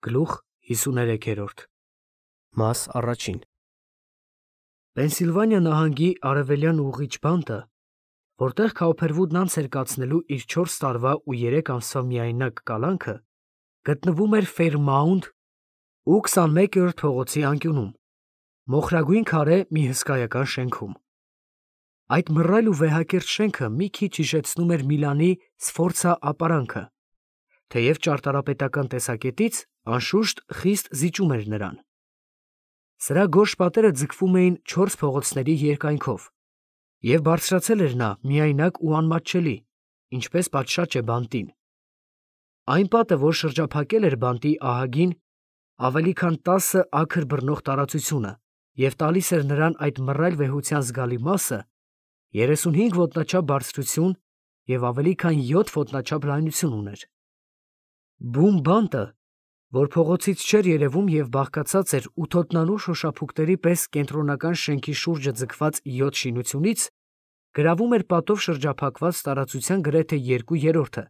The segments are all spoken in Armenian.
Գլուխ 53 Մաս առաջին Պենսիլվանիա նահանգի արևելյան ուղղիչ բանտը, որտեղ Քաուփերվուդն անց էր կացնելու իր 4 տարվա ու 3 ամսվա միայնակ կալանքը, գտնվում էր Ֆեյրմաունթ ու 21-րդ փողոցի անկյունում, մոխրագույն քարե մի հսկայական շենքում։ Այդ մռայլ ու վեհակիրթ շենքը մի քիչ հիշեցնում էր Միլանի Սֆորցա ապարանքը, թեև ճարտարապետական տեսակետից անշուշտ խիստ զիջում էր նրան։ Սրա գորշ պատերը ձգվում էին 4 փողոցների երկայնքով, և բարձրացել էր նա միայնակ ու անմատչելի, ինչպես պատշաճ է բանտին։ Այն պատը, որ շրջափակել էր բանտի ահագին, ավելի քան 10 աքր բռնող տարածությունը և տալիս էր նրան այդ մռայլ վեհության զգալի մասը, 35 ոտնաչափ բարձրություն և ավելի քան 7 ոտնաչափ լայնություն ուներ։ Բուն բանտը, որ փողոցից չէր երևում և բաղկացած էր ութոտնանու շոշափուկների պես կենտրոնական շենքի շուրջը ձգված 7 շինությունից, գրավում էր պատով շրջափակված տարածության գրեթե 2/3-ը,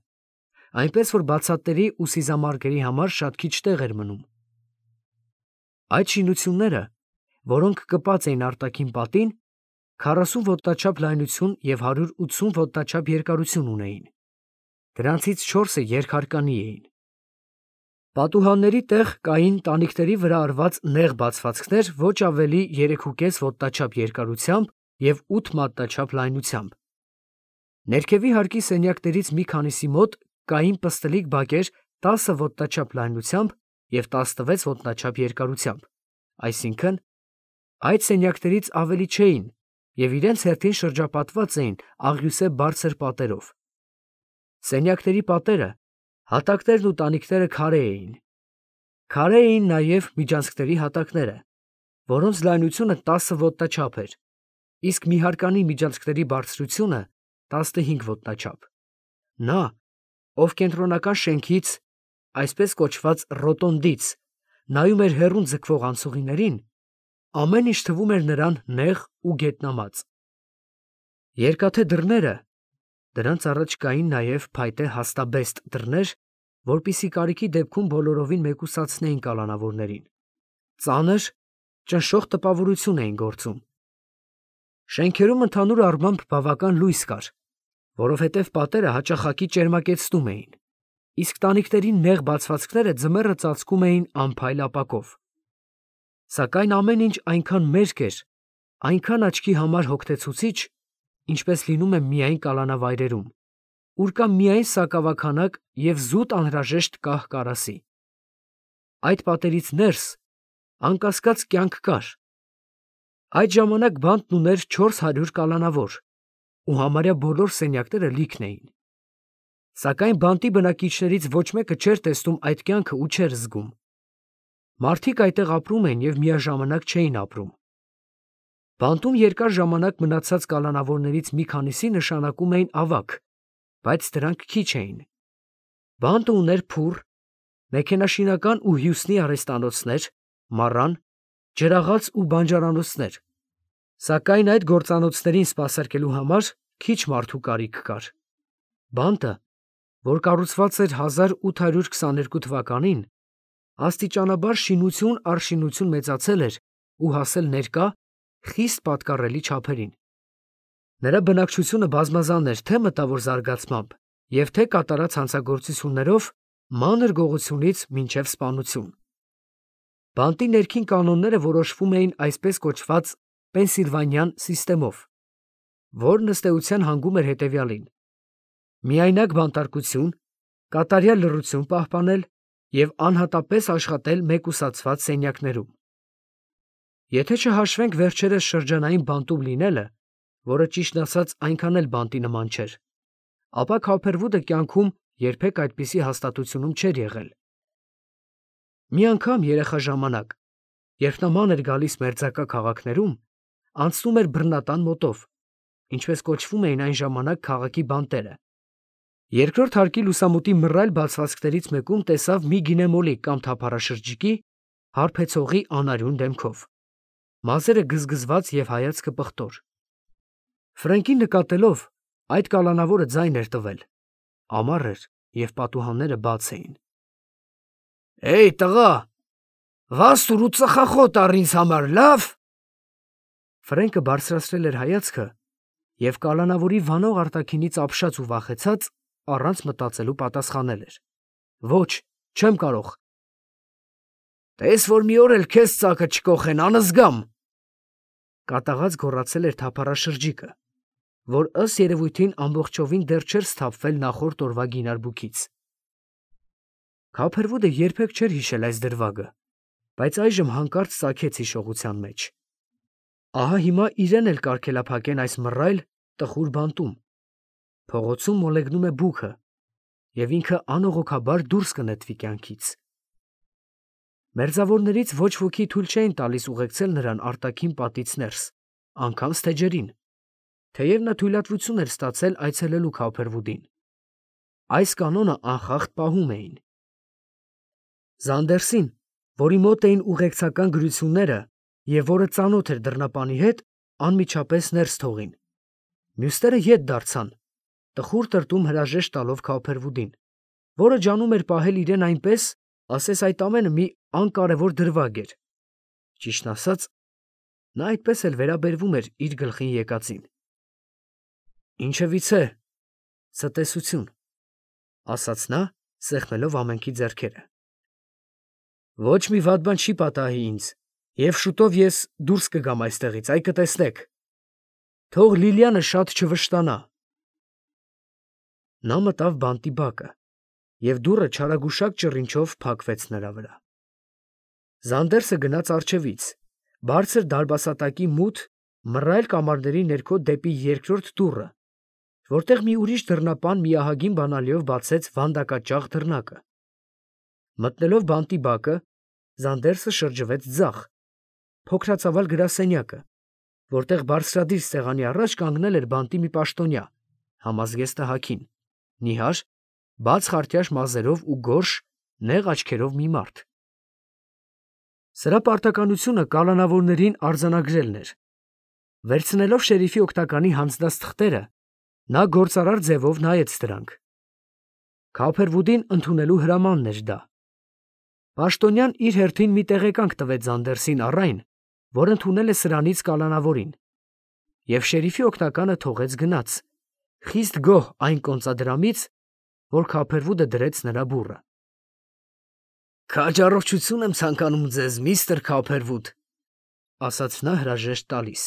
այնպես որ բացատների ու սիզամարգերի համար շատ քիչ տեղ էր մնում։ Այդ շինությունները, որոնք կպած էին արտաքին պատին, 40 ոտնաչափ լայնություն և 180 ոտնաչափ երկարություն ունեին։ Դրանցից 4-ը երկհարկանի էին։ Պատուհանների տեղ կային տանիքների վրա արված նեղ բացվածքներ ոչ ավելի 3,5 ոտնաչափ երկարությամբ և 8 մատնաչափ լայնությամբ։ Ներքևի հարկի սենյակներից մի քանիսի մոտ կային պստլիկ բակեր 10 ոտնաչափ լայնությամբ և 16 ոտնաչափ երկարությամբ, այսինքն՝ այդ սենյակներից ավելի չէին և իրենց հերթին շրջապատված էին աղյուսե բարձր պատերով։ Սենյակների պատերը, հատակներն ու տանիքները քարե էին։ Քարե էին նաև միջանցքների հատակները, որոնց լայնությունը 10 ոտնաչափ էր, իսկ մի հարկանի միջանցքների բարձրությունը 15 ոտնաչափ։ Նա, ով կենտրոնական շենքից, այսպես կոչված ռոտոնդից, նայում էր հեռուն ձգվող անցուղիներին, ամեն ինչ թվում էր նրան նեղ ու գետնամած։ Երկաթե դռները (դրանց առաջ կային նաև փայտե հաստաբեստ դռներ, որպեսզի կարիքի դեպքում բոլորովին մեկուսացնեին կալանավորներին) ծանր, ճնշող տպավորություն էին գործում։ Շենքերում ընդհանուր առմամբ բավական լույս կար, որովհետև պատերը հաճախակի ճերմակեցնում էին, իսկ տանիքների նեղ բացվածքները ձմեռը ծածկում էին անփայլ ապակով։ Սակայն ամեն ինչ այնքան մերկ էր, այնքան աչքի համար հոգնեցուցիչ, ինչպես լինում է միայն կալանավայրերում, ուր կա միայն սակավաքանակ և զուտ անհրաժեշտ կահ կարասի։ Այդ պատերից ներս, անկասկած, կյանք կար։ Այդ ժամանակ բանտն ուներ 400 կալանավոր, ու համարյա բոլոր սենյակները լիքն էին։ Սակայն բանտի բնակիչներից ոչ մեկը չէր տեսնում այդ կյանքը ու չէր զգում։ Մարդիկ այդտեղ ապրում էին և միաժամանակ չէին ապրում։ Բանտում երկար ժամանակ մնացած կալանավորներից մի քանիսի նշանակում էին ավագ, բայց դրանք քիչ էին։ Բանտը ուներ փուռ, մեքենաշինական ու հյուսնի արհեստանոցներ, մառան, ջրաղաց ու բանջարանոցներ, սակայն այդ գործանոցներին սպասարկելու համար քիչ մարդու կարիք կար։ Բանտը, որ կառուցված էր 1822 թվականին, աստիճանաբար շինություն առ շինություն մեծացել էր ու հասել ներկա, խիստ պատկառելի չափերին։ Նրա բնակչությունը բազմազան էր թե մտավոր զարգացմամբ և թե կատարած հանցագործություններով, մանր գողությունից մինչև սպանություն։ Բանտի ներքին կանոնները որոշվում էին այսպես կոչված պենսիլվանյան սիստեմով, որն ըստ էության հանգում էր հետևյալին. միայնակ բանտարկություն, կատարյալ լռություն պահպանել և անհատապես աշխատել մեկուսացված սենյակներում։ Եթե չհաշվենք վերջերս շրջանային բանտում լինելը, որը ճիշտն ասած այնքան էլ բանտի նման չէր, ապա Քաուփերվուդը կյանքում երբեք այդպիսի հաստատությունում չէր եղել։ Մի անգամ երեխա ժամանակ, երբ նա ման էր գալիս մերձակա քաղաքներում, անցնում էր բռնատան մոտով, ինչպես կոչվում էին այն ժամանակ քաղաքի բանտերը։ Երկրորդ հարկի լուսամուտի մռայլ բացվածքներից մեկում տեսավ մի գինեմոլի կամ թափառաշրջիկի, հարբեցողի անարյուն դեմքով, մազերը գզգզված և հայացքը պղտոր։ Ֆրենկին նկատելով, այդ կալանավորը ձայն էր տվել, ամառ էր և պատուհանները բաց էին։ Էй տղա, վաստուր ու ծխախոտ առ ինձ համար, լավ։ Ֆրենկը բարձրացրել էր հայացքը և կալանավորի վանող արտաքինից ապշած ու վախեցած առանց մտածելու պատասխանել էր. Ոչ, չեմ կարող։ Տես որ մի օր էլ քեզ ծակը չկոխեն, անզգամ։ Կատաղած գոռացել էր թափառաշրջիկը, որ ըստ երևույթին ամբողջովին դեռ չէր սթափվել նախորդ օրվա գինարբուքից։ Քափերվուդը երբեք չէր հիշել այս դրվագը, բայց այժմ հանկարծ ծագեց հիշողության մեջ։ Ահա հիմա իրեն էլ կարգելափակեն այս մռայլ տխուր բանտում։ Փողոցում մոլեգնում է բուքը, և ինքը անողոքաբար դուրս կնետվի կյանքից։ Մերձավորներից ոչ ոքի թույլ չէին տալիս ուղեկցել նրան արտաքին պատից ներս, անգամ ստեջերին, թեև նա թույլատվություն էր ստացել այցելելու Քափերվուդին։ Այս կանոնը անխախտ պահում էին։ Զանդերսին, որի մոտ էին ուղեկցական գրությունները և որը ծանոթ էր դռնապանի հետ, անմիջապես ներս թողին։ Մյուսները ետ դարձան, տխուր տրտում հրաժեշտ տալով Քափերվուդին, որը ջանում էր պահել իրեն այնպես, ասես այդ ամենը մի անկարևոր դրվագ էր։ Ճիշտն ասած, նա այդպես էլ վերաբերվում էր իր գլխին եկածին։ Ինչևիցե, ցտեսություն, ասաց նա, սեղմելով ամենքի ձեռքերը։ Ոչ մի վատ բան չի պատահի ինձ, և շուտով ես դուրս կգամ այստեղից, այ կտեսնեք։ Թող Լիլիանը շատ չվշտանա։ Նա մտավ բանտի բակը, և դուռը չարագուշակ ճռինչով փակվեց նրա վրա։ Զանդերսը գնաց առջևից, բարձր դարբասատակի մութ, մռայլ կամարների ներքո դեպի երկրորդ դուռը, որտեղ մի ուրիշ դռնապան միահագին բանալիով բացեց վանդակաճաղ դռնակը։ Մտնելով բանտի բակը, Զանդերսը շրջվեց ձախ, փոքրացավալ գրասենյակը, որտեղ բարձրադիր սեղանի առաջ կանգնել էր բանտի մի պաշտոնյա, համազգեստը հագին, նիհար, բաց խարտյաշ մազերով ու գորշ, նեղ աչքերով մի մարդ։ Սրա պարտականությունը կալանավորներին արձանագրելն էր։ Վերցնելով շերիֆի օգնականի հանձնած թղթերը, նա գործարար ձևով նայեց դրանք։ Քափերվուդին ընդունելու հրամանն էր դա։ Պաշտոնյան իր հերթին մի տեղեկանք տվեց Զանդերսին առ այն, որ ընդունել է սրանից կալանավորին, և շերիֆի օգնականը թողեց գնաց, խիստ գոհ այն կոնծադրամից, որ Քափերվուդը դրեց նրա բուռը։ Քաջ առողջություն եմ ցանկանում ձեզ, միստր Քափերվուդ, ասաց նա հրաժեշտ տալիս։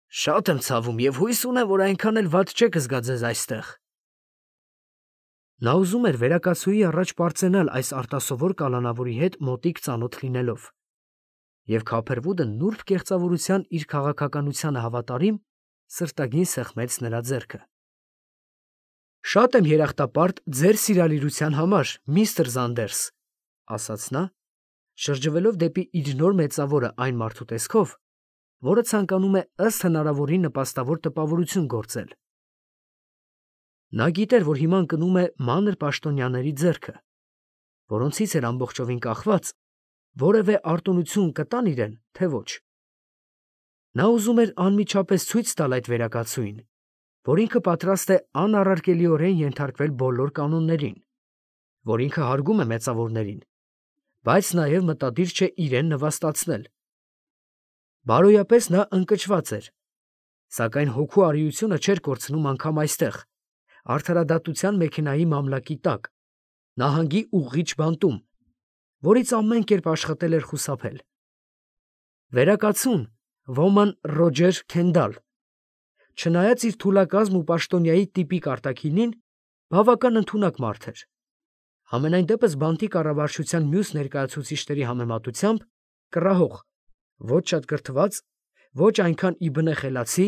Շատ եմ ցավում և հույս ունեմ, որ այնքան էլ վատ չեք զգա ձեզ այստեղ։ Նա ուզում էր վերակացուի առաջ պարծենալ այս արտասովոր կալանավորի հետ մոտիկ ծանոթ լինելով, և Քափերվուդը նուրբ կեղծավորության իր քաղաքականությանը հավատարիմ, սրտագին սեղմեց նրա ձեռքը։ Շատ եմ երախտապարտ ձեր սիրալիրության համար, միստր Զանդերս, ասաց նա, շրջվելով դեպի իր նոր մեծավորը այն մարդու տեսքով, որը ցանկանում է ըստ հնարավորին նպաստավոր տպավորություն գործել։ Նա գիտեր, որ հիմա ընկնում է մանր պաշտոնյաների ձեռքը, որոնցից էր ամբողջովին կախված, որևէ արտոնություն կտան իրեն, թե ոչ։ Նա ուզում էր անմիջապես ցույց տալ այդ վերակացուին, որ ինքը պատրաստ է անառարկելիորեն ենթարկվել բոլոր կանոններին, որ ինքը հարգում է մեծավորներին, բայց նաև մտադիր չէ իրեն նվաստացնել։ Բարոյապես նա ընկճված էր, սակայն հոգու արիությունը չէր կորցնում անգամ այստեղ, արդարադատության մեքենայի մամլակի տակ, նահանգի ուղղիչ բանտում, որից ամեն կերպ աշխատել էր խուսափել։ Վերակացուն, ոման Ռոջեր Քենդալ, չնայած իր թուլակազմ ու պաշտոնյայի տիպիկ արտաքինին, բավական ընդունակ մարդ էր։ Համենայն դեպս բանտի կառավարչության մյուս ներկայացուցիչների համեմատությամբ կռահող, ոչ շատ կրթված, ոչ այնքան ի բնե խելացի,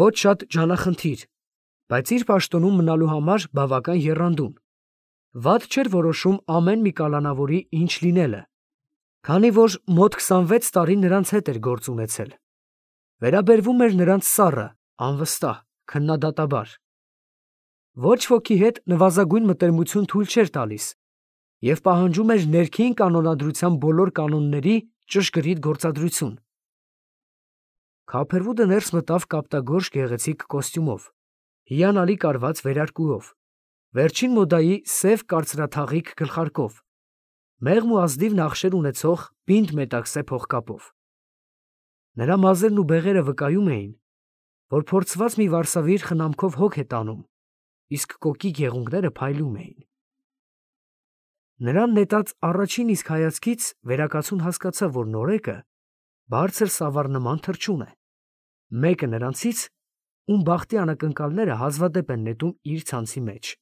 ոչ շատ ջանախնդիր, բայց իր պաշտոնում մնալու համար բավական եռանդուն։ Վատ չէր որոշում ամեն մի կալանավորի ինչ լինելը, քանի որ մոտ 26 տարի նրանց հետ էր գործ ունեցել։ Վերաբերվում էր նրանց սառը, անվստահ, քննադատաբար։ Ոչ ոքի հետ նվազագույն մտերմություն թույլ չէր տալիս և պահանջում էր ներքին կանոնադրության բոլոր կանոնների ճշգրիտ գործադրություն։ Քափերվուդը ներս մտավ կապտագորշ գեղեցիկ կոստյումով, հիանալի կարված վերարկուով, վերջին մոդայի սև կարծրաթաղիք գլխարկով, մեղմ ու ազնիվ նախշեր ունեցող պինդ մետաքսե փողկապով։ Նրա մազերն ու բեղերը վկայում էին, որ փորձված մի վարսավիր խնամքով հոգ է տանում, իսկ կոկիկ եղունգները փայլում էին։ Նրան նետած առաջին իսկ հայացքից վերակացուն հասկացավ, որ նորեկը բարձր սավառնման թռչուն է, մեկը նրանցից, ում բախտի անակնկալները հազվադեպ են նետում իր ցանցի մեջ։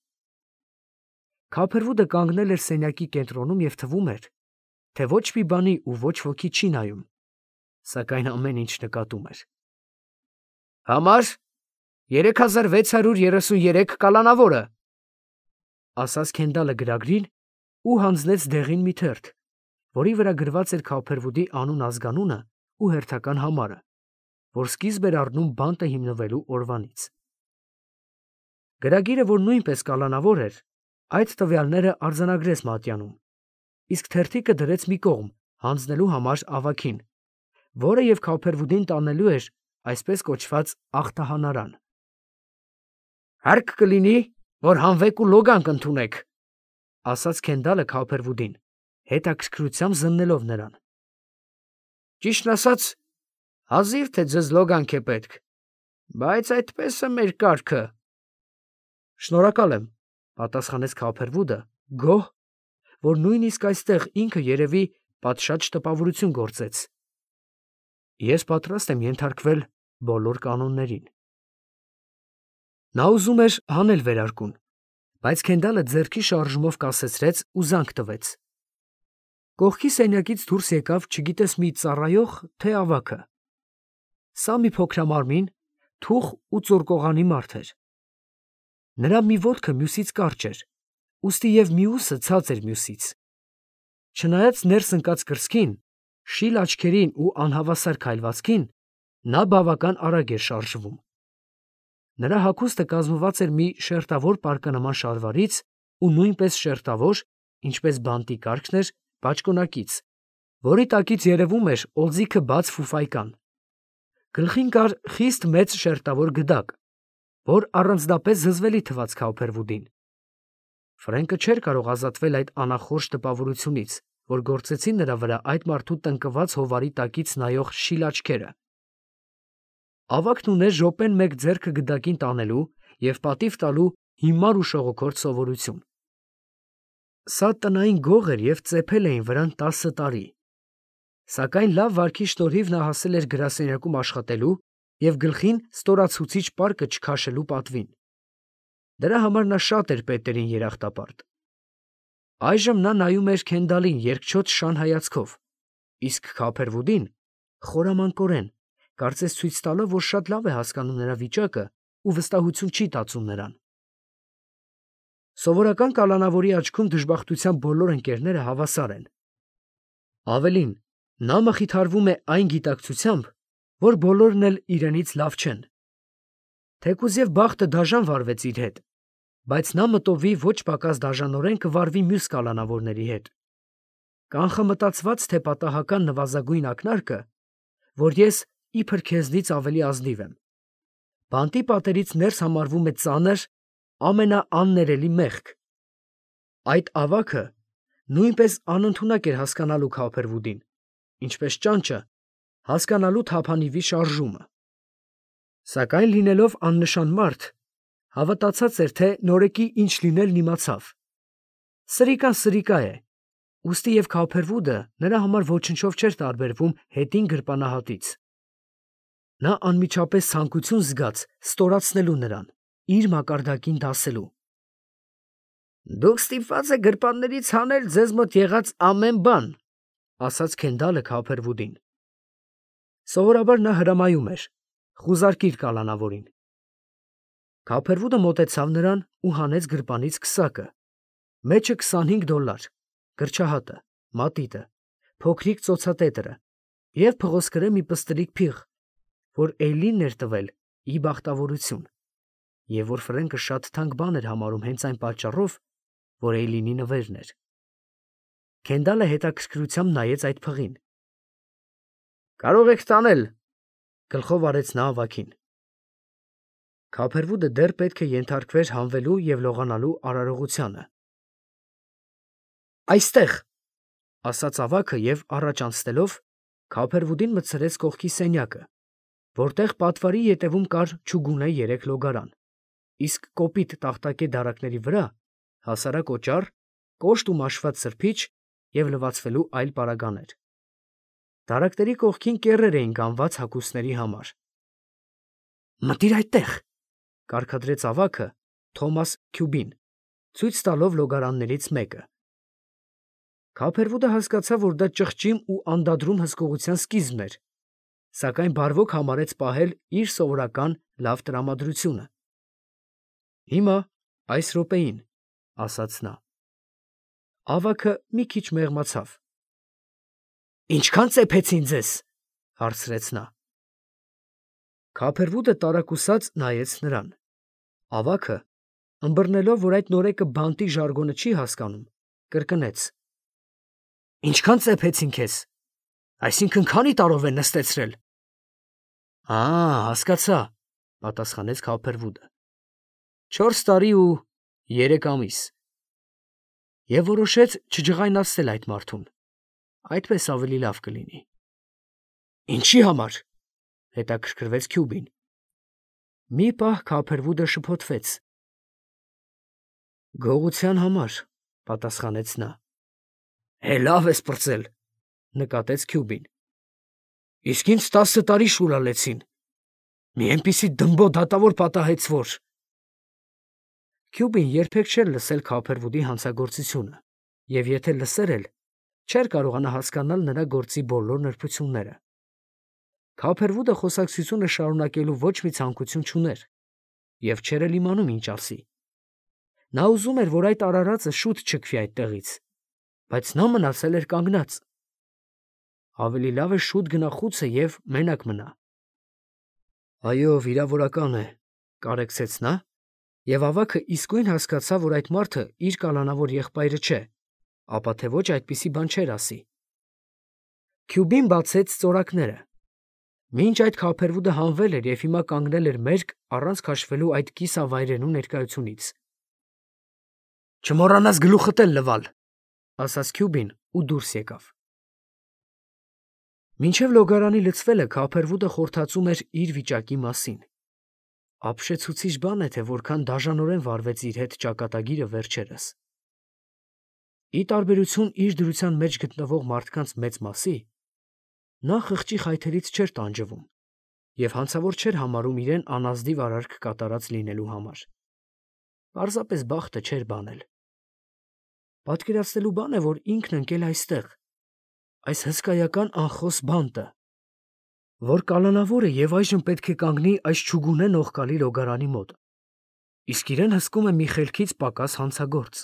Քափերվուդը կանգնել էր սենյակի կենտրոնում և թվում էր, թե ոչ մի բանի ու ոչ ոքի չի նայում, սակայն ամեն ինչ նկատում էր։ «Համար 3633 կալանավորը», ասաց Քենդալը գրագրին ու հանձնեց դեղին մի թերթ, որի վրա գրված էր Քափերվուդի անուն ազգանունը ու հերթական համարը, որ սկիզբ էր առնում բանտը հիմնվելու օրվանից։ Գրագիրը, որ նույնպես կալանավոր էր, այդ տվյալները արձանագրեց Մատյանում, իսկ թերթիկը դրեց մի կողմ հանձնելու համար ավագին, որը և Քափերվուդին տանելու էր այսպես կոչված ախտահանարան։ «Հարկ կլինի, որ հանվեք ու լոգանք ընդունեք», ասաց Քենդալը Քափերվուդին, հետաքրքրությամբ զննելով նրան։ «Ճիշտն ասած, հազիվ թե ձեզ լոգանք է պետք, բայց այդպես է մեր կարգը»։ «Շնորհակալ եմ», պատասխանեց Քափերվուդը, գոհ, որ նույնիսկ այստեղ ինքը երևի պատշաճ տպավորություն գործեց։ «Ես պատրաստ եմ ենթարկվել բոլոր կանոններին»։ Նա ուզում էր հանել վերարկուն, բայց Քենդալը ձեռքի շարժումով կասեցրեց ու զանգ տվեց։ Կողքի սենյակից դուրս եկավ չգիտես մի ծառայող, թե ավագը։ Սա մի փոքրամարմին, թուխ ու ծորկողանի մարդ էր։ Նրա մի ոտքը մյուսից կարճ էր, ուստի և մյուսը ցած էր մյուսից։ Չնայած ներս ընկած կրծքին, շիլ աչքերին ու անհավասար քայլվածքին, նա բավական արագ էր շարժվում։ Նրա հագուստը կազմված էր մի շերտավոր պարկանման շալվարից ու նույնպես շերտավոր, ինչպես բանտի կարգն էր, բաճկոնակից, որի տակից երևում էր օձիքը բաց ֆուֆայկան։ Գլխին կար խիստ մեծ շերտավոր գդակ, որ առանձնապես զզվելի թվաց Քափերվուդին։ Ֆրենկը չէր կարող ազատվել այդ անախորժ տպավորությունից, որ գործեցին նրա վրա այդ մարդու տնկված հովարի տակից նայող շիլ աչքերը։ Ավագն ուներ րոպեն մեկ ձեռքը գդակին տանելու և պատիվ տալու հիմար ու շողոքորթ սովորություն։ Սա տնային գող էր և ծեփել էին վրան 10 տարի։ Սակայն լավ վարքի շնորհիվ նա հասել էր գրասենյակում աշխատելու և գլխին ստորացուցիչ պարկը չքաշելու պատվին։ Դրա համար նա շատ էր պետերին երախտապարտ։ Այժմ նա նայում էր Քենդալին երկչոտ շան հայացքով, իսկ Քափերվուդին խորամանկորեն, կարծես ցույց տալով, որ շատ լավ է հասկանում նրա վիճակը ու վստահություն չի տածում նրան։ Սովորական կալանավորի աչքում դժբախտության բոլոր ընկերները հավասար են։ Ավելին, նա մխիթարվում է այն գիտակցությամբ, որ բոլորն էլ իրենից լավ չեն։ Թեկուզ և բախտը դաժան վարվեց իր հետ, բայց նա մտովի ոչ պակաս դաժանորեն կվարվի մյուս կալանավորների հետ։ Կանխամտածված թե պատահական նվազագույն ակնարկը, որ ես իբր քեզնից ավելի ազնիվ եմ։ Բանտի պատերից ներս համարվում է ծանր, ամենաաններելի մեղք։ Այդ ավագը նույնպես անընդունակ էր հասկանալու Քափերվուդին, ինչպես ճանճը հասկանալու թափանիվի շարժումը։ Սակայն լինելով աննշան մարդ, հավատացած էր, թե նորեկի ինչ լինելն իմացավ։ Սրիկան սրիկա է, ուստի և Քափերվուդը նրա համար ոչնչով չէր տարբերվում հետին գրպանահատից։ Նա անմիջապես ցանկություն զգաց ստորացնելու նրան, իր մակարդակին դասելու։ «Դուք ստիպված եք գրպաններից հանել ձեզ մոտ եղած ամեն բան», ասաց Քենդալը Քափերվուդին։ Սովորաբար նա հրամայում էր. «Խուզարկիր կալանավորին»։ Քափերվուդը մոտեցավ նրան ու հանեց գրպանից քսակը, մեջը $25, գրչահատը, մատիտը, փոքրիկ ծոցատետրը և փղոսկրե մի պստլիկ փիղ, որ Էյլինն էր տվել ի բախտավորություն, և որ Ֆրենկը շատ թանկ բան էր համարում հենց այն պատճառով, որ Էյլինի նվերն էր։ Քենդալը հետաքրքրությամբ նայեց այդ փղին։ «Կարող եք տանել», գլխով արեց նա ավագին։ Քափերվուդը դեռ պետք է ենթարկվեր հանվելու և լողանալու արարողությանը։ «Այստեղ», ասաց ավագը և առաջ անցնելով Քափերվուդին մտցրեց կողքի սենյակը, որտեղ պատվարի ետևում կար չուգունե 3 լոգարան, իսկ կոպիտ տախտակե դարակների վրա հասարակ օճառ, կոշտ ու մաշված սրբիչ և լվացվելու այլ պարագաներ։ Դարակների կողքին կեռեր էին կանված հագուստների համար։ «Մտիր այդտեղ», կարգադրեց ավագը Թոմաս Քյուբին, ցույց տալով լոգարաններից մեկը։ Քափերվուդը հասկացավ, որ դա ճղճիմ ու անդադրում հսկողության սկիզբն էր, սակայն բարվոք համարեց պահել իր սովորական լավ տրամադրությունը։ «Հիմա, այս րոպեին», ասաց նա։ Ավագը մի քիչ մեղմացավ։ «Ինչքան ծեփեցին ձեզ», հարցրեց նա։ Քափերվուդը տարակուսած նայեց նրան։ Ավագը, ըմբռնելով, որ այդ նորեկը բանտի ժարգոնը չի հասկանում, կրկնեց. «Ինչքան ծեփեցին քեզ, այսինքն քանի տարով են նստեցրել»։ Հասկացա, պատասխանեց Քափերվուդը։ 4 տարի ու 3 ամիս։ Եվ որոշեց չջղայնացնել այդ մարդուն, այդպես ավելի լավ կլինի։ Ինչի համար, հետաքրքրվեց Քյուբին։ Մի պահ Քափերվուդը շփոթվեց։ Գողության համար, պատասխանեց նա։ Լավ ես պրծել, նկատեց Քյուբին։ Իսկ ինձ 10 տարի շուրալեցին։ Մի այնպիսի դմբո դատավոր պատահեց, որ… Քյուբին երբեք չէր լսել Քափերվուդի հանցագործությունը, և եթե լսեր էլ, չէր կարողանա հասկանալ նրա գործի բոլոր նրբությունները։ Քափերվուդը խոսակցությունը շարունակելու ոչ մի ցանկություն չուներ, և չէր էլ իմանում ինչ ասի։ Նա ուզում էր, որ այդ արարածը շուտ չքվի այդտեղից, բայց նա մնացել էր կանգնած։ Ավելի լավ է շուտ գնա խուցը և մենակ մնա։ Այո, վիրավորական է, կարեկցեց նա, և ավագը իսկույն հասկացավ, որ այդ մարդը իր կալանավոր եղբայրը չէ, ապա թե ոչ այդպիսի բան չէր ասի։ Քյուբին բացեց ծորակները։ Մինչ այդ Քափերվուդը հանվել էր և հիմա կանգնել էր մերկ առանց քաշվելու այդ կիսավայրենու ներկայությունից։ Չմոռանաս գլուխդ էլ լվալ, ասաց Քյուբին ու դուրս եկավ։ Մինչև լոգարանի լցվելը Քափերվուդը խորհրդածում էր իր վիճակի մասին։ Ապշեցուցիչ բան է, թե որքան դաժանորեն վարվեց իր հետ ճակատագիրը վերջերս։ Ի տարբերություն իր դրության մեջ գտնվող մարդկանց մեծ մասի, նա խղճի խայթերից չէր տանջվում և հանցավոր չէր համարում իրեն անազնիվ արարք կատարած լինելու համար։ Պարզապես բախտը չէր բանել։ Պատկերացնելու բան է, որ ինքն ընկել այստեղ, այս հսկայական անխոս բանտը, որ կալանավոր է և այժմ պետք է կանգնի այս չուգունե նողկալի լոգարանի մոտ, իսկ իրեն հսկում է մի խելքից պակաս հանցագործ։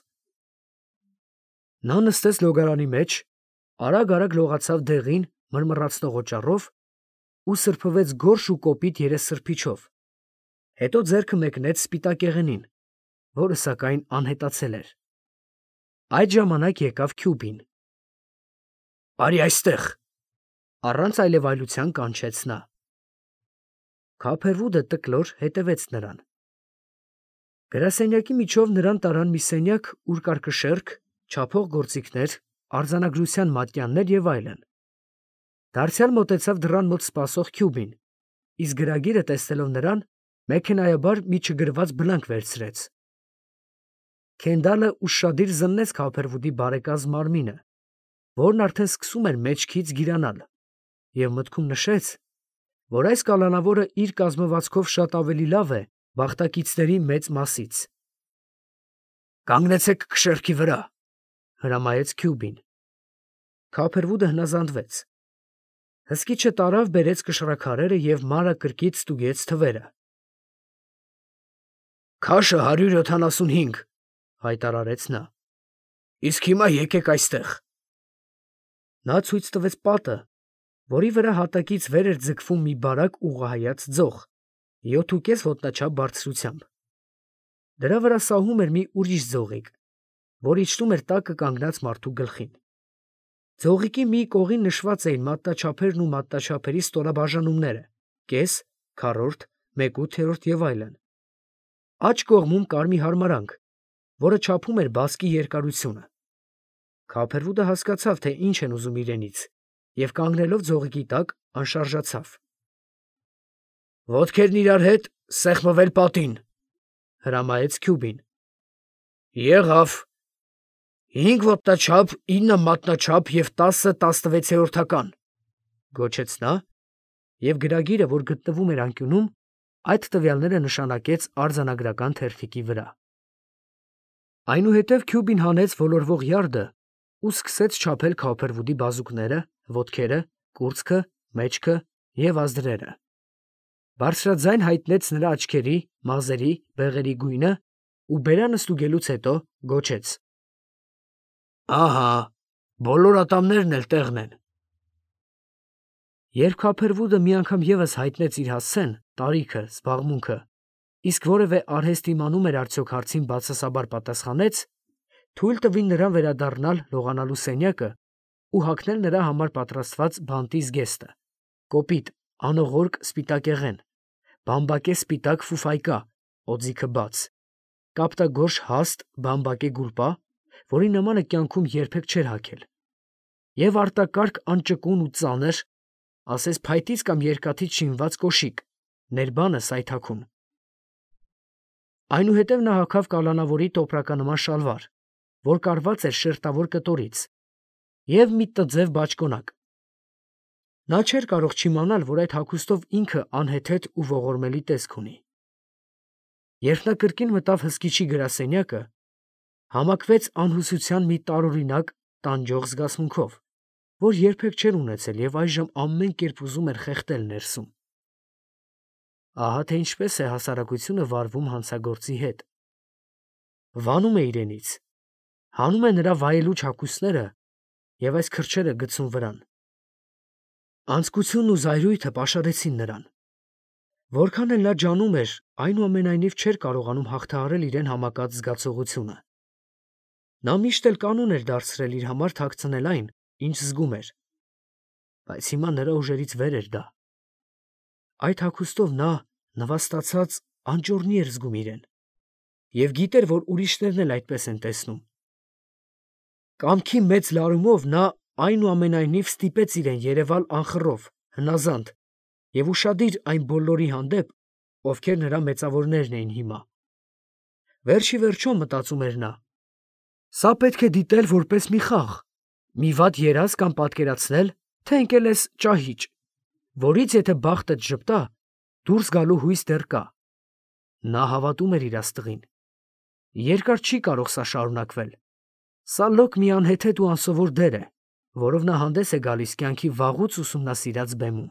Նա նստեց լոգարանի մեջ, արագ լողացավ դեղին մրմռացնող օճառով ու սրբվեց գորշ ու կոպիտ երեսսրբիչով, հետո ձեռքը մեկնեց սպիտակեղենին, որը սակայն անհետացել էր։ Այդ ժամանակ եկավ Քյուբին։ «Արի այստեղ», առանց այլևայլության կանչեց նա։ Քափերվուդը տկլոր հետևեց նրան։ Գրասենյակի միջով նրան տարան մի սենյակ, ուր կար կշեռք, չափող գործիքներ, արձանագրության մատյաններ և այլն։ Դարձյալ մոտեցավ դռան մոտ սպասող Քյուբին, իսկ գրագիրը տեսնելով նրան, մեքենայաբար մի չգրված բլանկ վերցրեց։ Քենդալը ուշադիր զննեց Քափերվուդի բարեկազմ մարմինը, որն արդեն սկսում էր մեջքից գիրանալ, և մտքում նշեց, որ այս կալանավորը իր կազմվածքով շատ ավելի լավ է բախտակիցների մեծ մասից։ «Կանգնեցեք կշեռքի վրա», հրամայեց Քյուբին։ Քափերվուդը հնազանդվեց։ Հսկիչը տարավ բերեց կշռաքարերը և մանրը կրկից ստուգեց թվերը։ «Քաշը 175, հայտարարեց նա։ Իսկ հիմա եկեք այստեղ։ Նա ցույց տվեց պատը, որի վրա հատակից վեր էր ձգվում մի բարակ ուղղահայաց ձող, 7,5 ոտնաչափ բարձրությամբ։ Դրա վրա սահում էր մի ուրիշ ձողիկ, որ իջնում էր տակը կանգնած մարդու գլխին։ Ձողիկի մի կողին նշված էին մատնաչափերն ու մատնաչափերի ստորաբաժանումները՝ կես, քառորդ, 1/8 և այլն։ Աջ կողմում կար մի հարմարանք, որը չափում էր բասկի երկարությունը։ Քափերվուդը հասկացավ, թե ինչ են ուզում իրենից, և կանգնելով ձողիկի տակ, անշարժացավ։ «Ոտքերն իրար հետ, սեղմվել պատին», հրամայեց Քյուբին։ «Եղավ. 5 ոտնաչափ, 9 մատնաչափ և 10 16-որդական», գոչեց նա, և գրագիրը, որ գտնվում էր անկյունում, այդ տվյալները նշանակեց արձանագրական թերթիկի վրա։ Այնուհետև Քյուբին հանեց ոլորվող յարդը ու սկսեց չափել Քոփերվուդի բազուկները, ոտքերը, կուրծքը, մեջքը և ազդրերը։ Բարձրաձայն հայտնեց նրա աչքերի, մազերի, բեղերի գույնը ու բերանը ստուգելուց հետո գոչեց. «Ահա, բոլոր ատամներն էլ տեղն են»։ Երբ Քոփերվուդը մի անգամ ևս հայտնեց իր հասցեն, տարիքը, զբաղմունքը, իսկ որևէ արհեստ իմանում էր արդյոք հարցին բացասաբար պատասխանեց, թույլ տվին նրան վերադառնալ լողանալու սենյակը ու հագնել նրա համար պատրաստված բանտի զգեստը, կոպիտ, անողորկ սպիտակեղեն, բամբակե սպիտակ ֆուֆայկա, օձիքը բաց, կապտագորշ հաստ բամբակե գուլպա, որի նմանը կյանքում երբեք չէր հագել, և արտակարգ անճկուն ու ծանր, ասես փայտից կամ երկաթից շինված կոշիկ, ներբանը սայթաքուն։ Այնուհետև նա հագավ կալանավորի տոպրականման շալվար, որ կարված էր շերտավոր կտորից, և մի տձև բաճկոնակ։ Նա չէր կարող չիմանալ, որ այդ հագուստով ինքը անհեթեթ ու ողորմելի տեսք ունի։ Երբ նա կրկին մտավ հսկիչի գրասենյակը, համակվեց անհուսության մի տարօրինակ, տանջող զգացմունքով, որ երբեք չէր ունեցել և այժմ ամեն կերպ ուզում էր խեղդել ներսում։ Ահա թե ինչպես է հասարակությունը վարվում հանցագործի հետ։ Վանում է իրենից, հանում է նրա վայելուչ հագուստները և այս քրջերը գցում վրան։ Անձկությունն ու զայրույթը պաշարեցին նրան։ Որքան էլ նա ջանում էր, այնուամենայնիվ չէր կարողանում հաղթահարել իրեն համակած զգացողությունը։ Նա միշտ էլ կանոն էր դարձրել իր համար թաքցնել այն, ինչ զգում էր, բայց հիմա նրա ուժերից վեր էր դա։ Այդ հագուստով նա, նվաստացած, անճոռնի էր զգում իրեն և գիտեր, որ ուրիշներն էլ այդպես են տեսնում։ Կամքի մեծ լարումով նա այնուամենայնիվ ստիպեց իրեն երևալ անխռով, հնազանդ և ուշադիր այն բոլորի հանդեպ, ովքեր նրա մեծավորներն էին հիմա։ Վերջ ի վերջո, մտածում էր նա, սա պետք է դիտել որպես մի խաղ, մի վատ երազ կամ պատկերացնել, թե ընկել ես ճահիճ, որից եթե բախտդ ժպտա, դուրս գալու հույս դեռ կա։ Նա հավատում էր իր աստղին։ Երկար չի կարող սա շարունակվել։ Սա լոկ մի անհեթեթ ու անսովոր դեր է, որով նա հանդես է գալիս կյանքի վաղուց ուսումնասիրած բեմում։